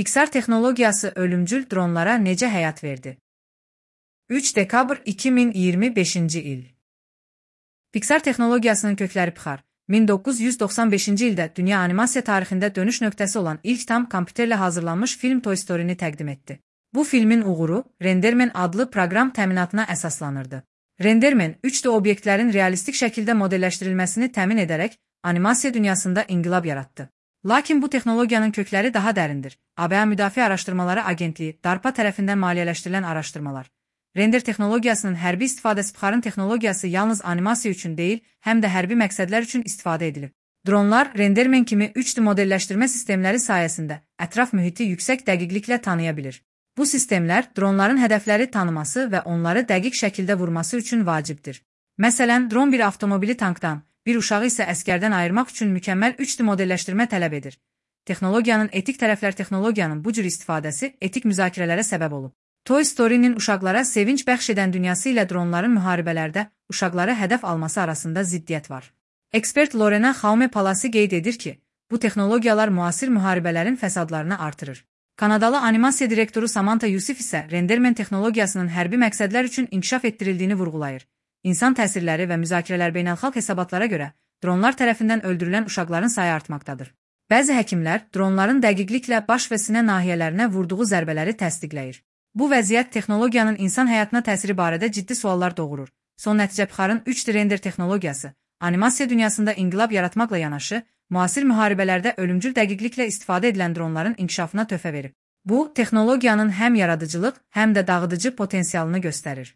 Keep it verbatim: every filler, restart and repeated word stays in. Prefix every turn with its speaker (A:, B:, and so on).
A: Pixar texnologiyası ölümcül dronlara necə həyat verdi? üç dekabr iki min iyirmi beşinci il. Pixar texnologiyasının kökləri Pixar, min doqquz yüz doxsan beşinci ildə dünya animasiya tarixində dönüş nöqtəsi olan ilk tam kompüterlə hazırlanmış film Toy Story-ni təqdim etdi. Bu filmin uğuru Renderman adlı proqram təminatına əsaslanırdı. Renderman, üç D obyektlərin realistik şəkildə modelləşdirilməsini təmin edərək animasiya dünyasında inqilab yaratdı. Lakin bu texnologiyanın kökləri daha dərindir. A B A Müdafiə Araşdırmaları Agentliyi, DARPA tərəfindən maliyyələşdirilən araşdırmalar. Render texnologiyasının hərbi istifadəsi Pixarın texnologiyası yalnız animasiya üçün deyil, həm də hərbi məqsədlər üçün istifadə edilib. Dronlar, Renderman kimi üç D modelləşdirmə sistemləri sayəsində ətraf mühiti yüksək dəqiqliklə tanıya bilir. Bu sistemlər, dronların hədəfləri tanıması və onları dəqiq şəkildə vurması üçün vacibdir. Məsələn, dron bir avtomobili tankdan, bir uşağı isə əskərdən ayırmaq üçün mükəmməl üç D modelləşdirmə tələb edir. Texnologiyanın etik tərəflər texnologiyanın bu cür istifadəsi etik müzakirələrə səbəb olub. Toy Story-nin uşaqlara sevinç bəxş edən dünyası ilə dronların müharibələrdə uşaqları hədəf alması arasında ziddiyyət var. Ekspert Lorena Jaume Palasi qeyd edir ki, bu texnologiyalar müasir müharibələrin fəsadlarını artırır. Kanadalı animasiya direktoru Samantha Yusif isə Renderman texnologiyasının hərbi məqsədlər üçün inkişaf etdirildiyini vurğulayır. İnsan təsirləri və müzakirələr beynəlxalq hesabatlara görə dronlar tərəfindən öldürülən uşaqların sayı artmaqdadır. Bəzi həkimlər dronların dəqiqliklə baş və sinə nahiyələrinə vurduğu zərbələri təsdiqləyir. Bu vəziyyət texnologiyanın insan həyatına təsiri barədə ciddi suallar doğurur. Son nəticə Pixarın üç D render texnologiyası, animasiya dünyasında inqilab yaratmaqla yanaşı, müasir müharibələrdə ölümcül dəqiqliklə istifadə edilən dronların inkişafına töhfə verib. Bu, texnologiyanın həm yaradıcılıq, həm də dağıdıcı potensialını göstərir.